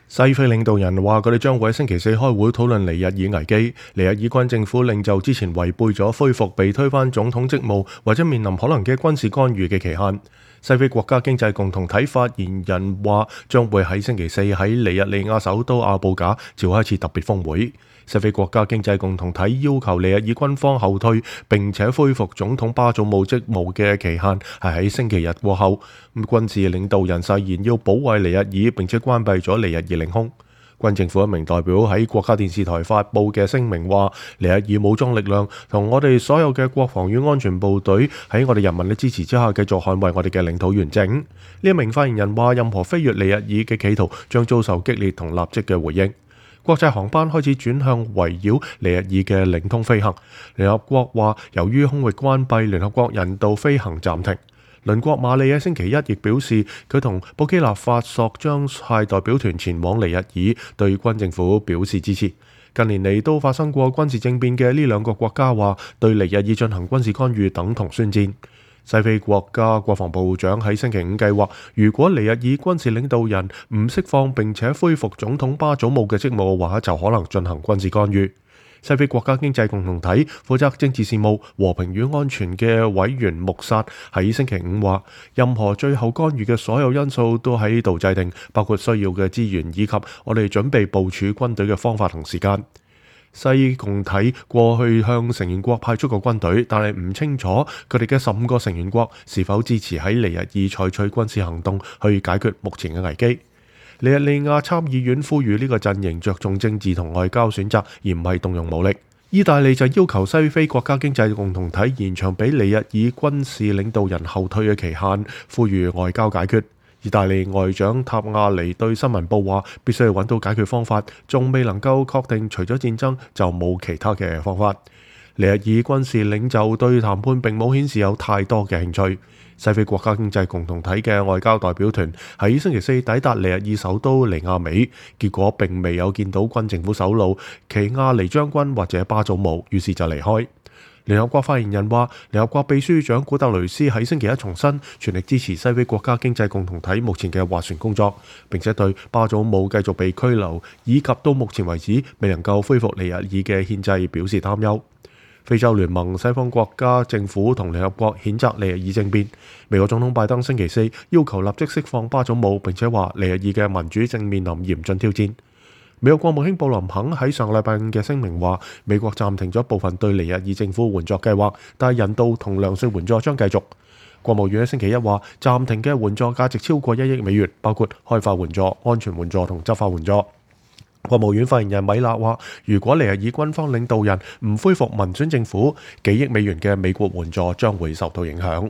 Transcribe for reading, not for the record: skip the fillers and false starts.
西非領導人話佢哋將會喺星期四開會討論尼日爾危機。尼日爾軍政府領袖之前違背咗恢復被推翻總統職務或者面臨可能嘅軍事干預嘅期限。西非國家經濟共同體發言人話將會喺星期四喺尼日利亞首都阿布賈召開一次特別峰會。西非國家經濟共同體要求尼日爾軍方後退並且恢復總統巴祖姆職務嘅期限係喺星期日過後。軍事領導人誓言要保衛尼日爾並且關閉咗尼日爾領空。軍政府一名代表喺國家電視台發布嘅聲明話，尼日爾武裝力量同我哋所有嘅國防與安全部隊喺我哋人民嘅支持之下繼續捍衛我哋嘅領土完整。呢一名發言人話，任何飛越尼日爾嘅企圖將遭受激烈同立即嘅回應。國際航班開始轉向圍繞尼日爾嘅領空飛行。聯合國話，由於空域關閉，聯合國人道飛行暫停。鄰國馬里喺星期一亦表示，佢同布基納法索將派代表團前往尼日爾，對軍政府表示支持。近年嚟都發生過軍事政變嘅呢兩個國家話，對尼日爾進行軍事干預等同宣戰。西非國家國防部長喺星期五計劃，如果尼日爾軍事領導人唔釋放並且恢復總統巴祖姆嘅職務嘅話，就可能進行軍事干預。西非國家經濟共同體負責政治事務、和平與安全嘅委員穆薩喺星期五話，任何最後干預嘅所有因素都喺度制定，包括需要嘅資源以及我哋準備部署軍隊嘅方法同時間。西共體過去向成員國派出過軍隊，但係唔清楚佢哋嘅15個成員國是否支持喺尼日爾採取軍事行動去解決目前嘅危機。尼日利亞參議院呼籲呢個陣營着重政治同外交選擇，而唔係動用武力。意大利就要求西非國家經濟共同體延長俾尼日爾軍事領導人後退嘅期限，呼籲外交解決。意大利外長塔亞尼對新聞報話，必須要揾到解決方法，仲未能夠確定除咗戰爭就冇其他嘅方法。尼日爾軍事領袖對談判並冇顯示有太多嘅興趣。西非國家經濟共同體嘅外交代表團喺星期四抵達尼日爾首都尼亞美，結果並未有見到軍政府首腦奇亞尼將軍或者巴祖姆，於是就離開。聯合國發言人話，聯合國秘書長古特雷斯喺星期一重申全力支持西非國家經濟共同體目前嘅斡旋工作，並且對巴祖姆繼續被拘留以及到目前為止未能夠恢復尼日爾嘅憲制表示擔憂。非洲聯盟西方國家政府同聯合國譴責尼日爾政變。美國總統拜登星期四要求立即釋放巴祖姆，並且話尼日爾嘅民主正面臨嚴峻挑戰。美國國務卿布林肯喺上個禮拜五嘅聲明話，美國暫停咗部分對尼日爾政府援助計劃，但係人道同糧食援助將繼續。國務院喺星期一話，暫停嘅援助價值超過1億美元，包括開發援助、安全援助同執法援助。國務院發言人米勒話，如果尼日爾軍方領導人唔恢復民選政府，幾億美元嘅美國援助將會受到影響。